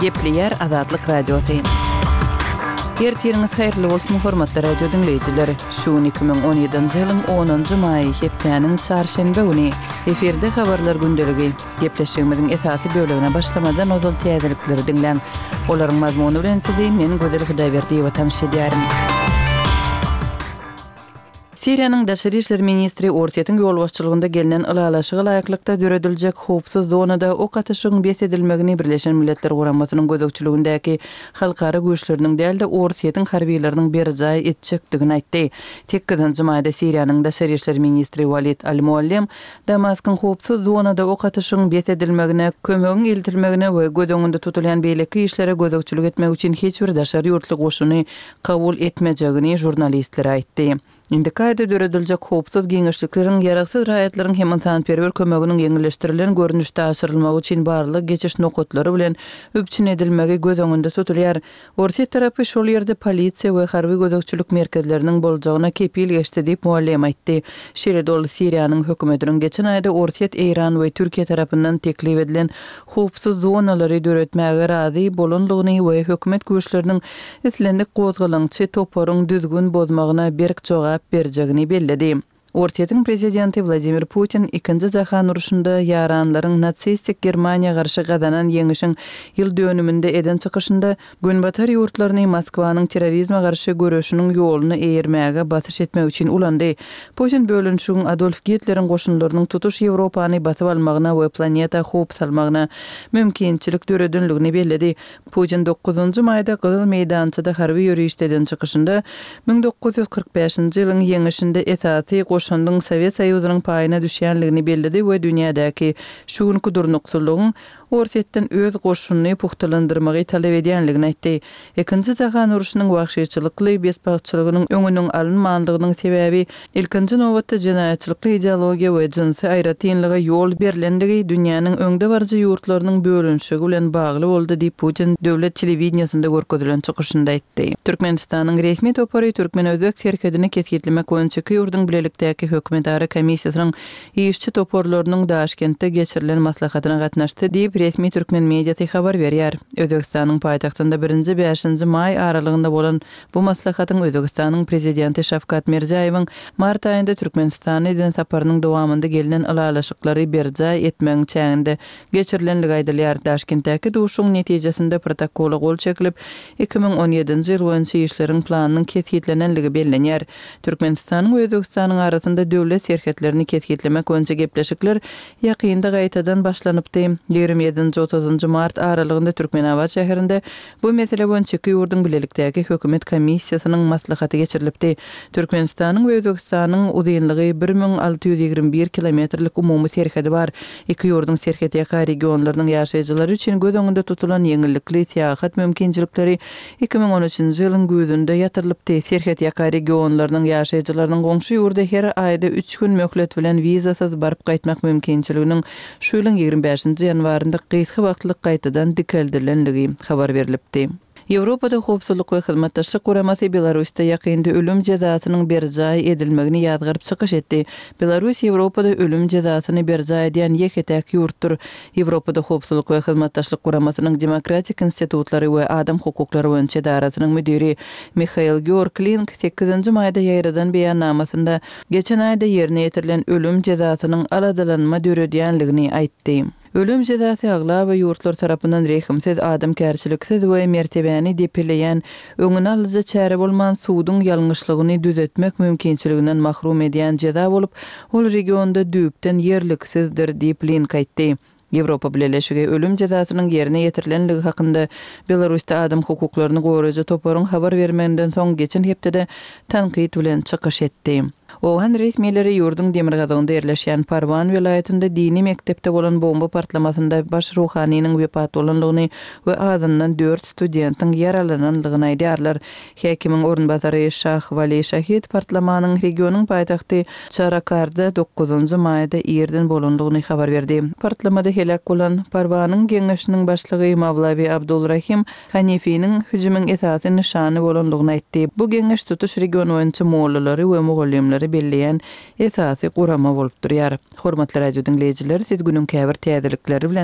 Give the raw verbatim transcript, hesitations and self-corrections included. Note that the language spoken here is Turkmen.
Gepleýär Azatlyk Radiosy. Ertiriňiz haýyrly bolsun, hormatly radio diňleýjiler! Şu gün iki müň on ýedinji ýylyň onunjy maýy, hepdäniň çarşenbe güni. Efirde Habarlar gündeligi. Gepleşigimiziň esasy bölegine başlamadan ozal täzelikleri diňläň. Olaryň mazmuny bilen sizi men Gözel Hudaýberdiýewa tanyş edýärin. Siriýanyň daşary işler ministri Orsýetiň ýolbaşçylygynda gelnen ylalaşyga laýyklykda dörediljek howpsuz zonada ok atyşygyň bes edilmegini Birleşen Milletler Guramasynyň gözegçiligindäki halkara güýçleriniň däl-de, Orsýetiň harbylarynyň berjaý etjekdigini aýtdy. Sekizinji maýda Siriýanyň daşary işler ministri Walid al-Muallem Damaskyň howpsuz zonada ok atyşygyň bes edilmegine, kömegiň eltilmegine we göz öňünde tutulýan beýleki işlere gözegçilik etmek üçin hiç bir daşary ýurtly goşuny kabul etmejegini žurnalistlere aýtdy. Indiki aýda dörediljek howpsuz giňişlikleriň ýaragsyz raýatlaryň hem ynsanperwer kömeginiň ýeňilleşdirilen görnüşde aşyrylmagy üçin barlag geçiş nokatlary bilen üpjün edilmegi göz öňünde tutulýar. Orsýet tarapy şol ýerde polisiýa we harby gözegçilik merkezleriniň boljagyna kepil geçdi diýip, Muallem aýtdy. Şeýle-de ol Siriýanyň hökümetiniň geçen aýda Orsýet, Eýran we Türkiýe tarapyndan teklip edilen howpsuz zonalary döretmäge razy bolandygyny we hökümet güýçleriniň islendik gozgalaňçy toparyň düzgün bozmagyna berk jogap berjegini belledi. Orsýetiň prezidenti Wladimir Putin Ikinji jahan urşunda ýaranlaryň nasistik Germaniýa garşy gazanan ýeňişiň ýyl dönüminde eden çykyşynda Günbatar ýurtlaryny Moskwanyň terrorizme garşy göreşiniň ýoluna eýermäge basyş etmek üçin ulandy. Putin bölünişigiň Adolf Gitleriň goşunlarynyň tutuş Ýewropany basyp almagyna we planeta howp salmagyna mümkinçilik döredenligini belledi. Putin dokuzynjy maýda Gyzyl meýdançada harby ýörişde eden çykyşynda müň dokuz ýüz kyrk bäşinji ýylyň ýeňişinde esasy goşandyň Sowet Soýuzynyň paýyna düşýänligini belledi we dünýädäki şu günki durnuksyzlygyň Orsýetden öz goşunyny pugtalandyrmagy talap edýänligini aýtdy. Ikinji jahan urşunyň wagşyçylykly betbagtçylygynyň öňüniň alynmanlygynyň sebäbi ilkinji nobatda jenaýatçylykly ideologiýa we jynsy aýratynlyga ýol berlenligi dünýäniň öňdebaryjy ýurtlarynyň bölünişigi bilen bagly boldy diýip, Putin döwlet telewideniýesinde görkezilen çykyşynda aýtdy. Türkmenistanyň resmi topary türkmen-özbek serhedini kesgitlemek boýunça iki ýurduň bilelikdäki hökümetara komissiýasynyň işçi toparlarynyň Daşkentde geçirilen maslahatyna gatnaşdy diýip, resmi türkmen mediasy habar berýär. Özbegistanyň paýtagtynda birinji bäşinji maý aralygynda bolan bu maslahatyň Özbegistanyň prezidenti Şawkat Mirziýoýewiň mart aýynda Türkmenistana eden saparynyň dowamynda gelnen ylalaşyklary berjaý etmegiň çäginde geçirilenligi aýdylýar. Daşkentdäki duşuşygyň netijesinde protokola gol çekilip, iki müň on ýedinji ýyl boýunça işleriň planynyň kesgitlenenligi bellenýär. Türkmenistanyň we Özbegistanyň arasynda döwlet serhetlerini kesgitlemek boýunça gepleşikler ýakynda gaýtadan başlanypdy. Ýigrimi ýedinji otuzynjy mart aralygynda Türkmenabat şäherinde bu mesele boýunça iki ýurduň bilelikdäki hökümet komissiýasynyň maslahaty geçirilipdi. Türkmenistanyň we Özbegistanyň uzynlygy bir müň alty ýüz ýigrimi bir kilometrlik umumy serhedi bar. Iki ýurduň serhetýaka regionlarynyň ýaşaýjylary üçin göz öňünde tutulan ýeňillikli syýahat mümkinçilikleri iki müň on üçünji ýylyň güýzünde ýatyrylypdy. Serhetýaka regionlarynyň ýaşaýjylarynyň goňşy ýurda her aýda üç gün möhlet bilen wizasyz baryp gaýtmak mümkinçiliginiň şu ýylyň ýigrimi bäşinji ýanwarynda gysga wagtlyk gaýtadan dikeldilendigi habar berlipdi. Ýewropada Howpsuzlyk we Hyzmatdaşlyk Guramasy Belarusda ýakynda ölüm jezasynyň berjaý edilmegini ýazgaryp çykyş etdi. Belarus Ýewropada ölüm jezasyny berjaý edýän ýeke-täk ýurtdur. Ýewropada Howpsuzlyk we Hyzmatdaşlyk Guramasynyň Demokratik institutlary we adam hukuklary boýunça edarasynyň müdiri Mihail Georg Link sekizinji maýda ýaýradan beýannamasynda geçen aýda ýerine ýetirilen ölüm jezasynyň aladalanma döredýänligini aýtdy. Ölüm jezasy aglaba ýurtlar tarapyndan rehimsiz, adamkärçiliksiz we mertebäni depeleýän öňüni alyjy çäre bolman suduň ýalňyşlygyny düzetmek mümkinçiliginden mahrum edýän jeza bolup, ol regionda düýpden ýerliksizdir diýip Link aýtdy. Ýewropa Bileleşigi ölüm jezasynyň ýerine ýetirilenligi hakynda Belarusda adam hukuklaryny goraýjy toparyň habar bermeginden soň geçen hepdede tankyt bilen çykyş etdi. Owgan resmileri ýurduň demirgazygynda ýerleşýän Parwan welaýatynda dini mekdepde bolan bomba partlamasynda baş ruhanynyň wepat bolanlygyny we azyndan dört studentiň ýaralananlygyny aýdýarlar. Häkimiň orunbasary Şah Wali Şahid partlamanyň regionyň paýtagty Çarakarda dokuzynjy maýda irden bolanlygyny habar berdi. Partlamada heläk bolan Parwanyň geňeşiniň başlygy Mawlawi Abdulrahim Hanifiniň hüjümiň esasy nyşany bolanlygyny aýtdy. Bu geňeş tutuş region boýunça mollalary we mugallymlary belleýän esasy gurama bolup durýar. Hormatly radio diňleýjiler, siz günüň käbir täzelikleri bilen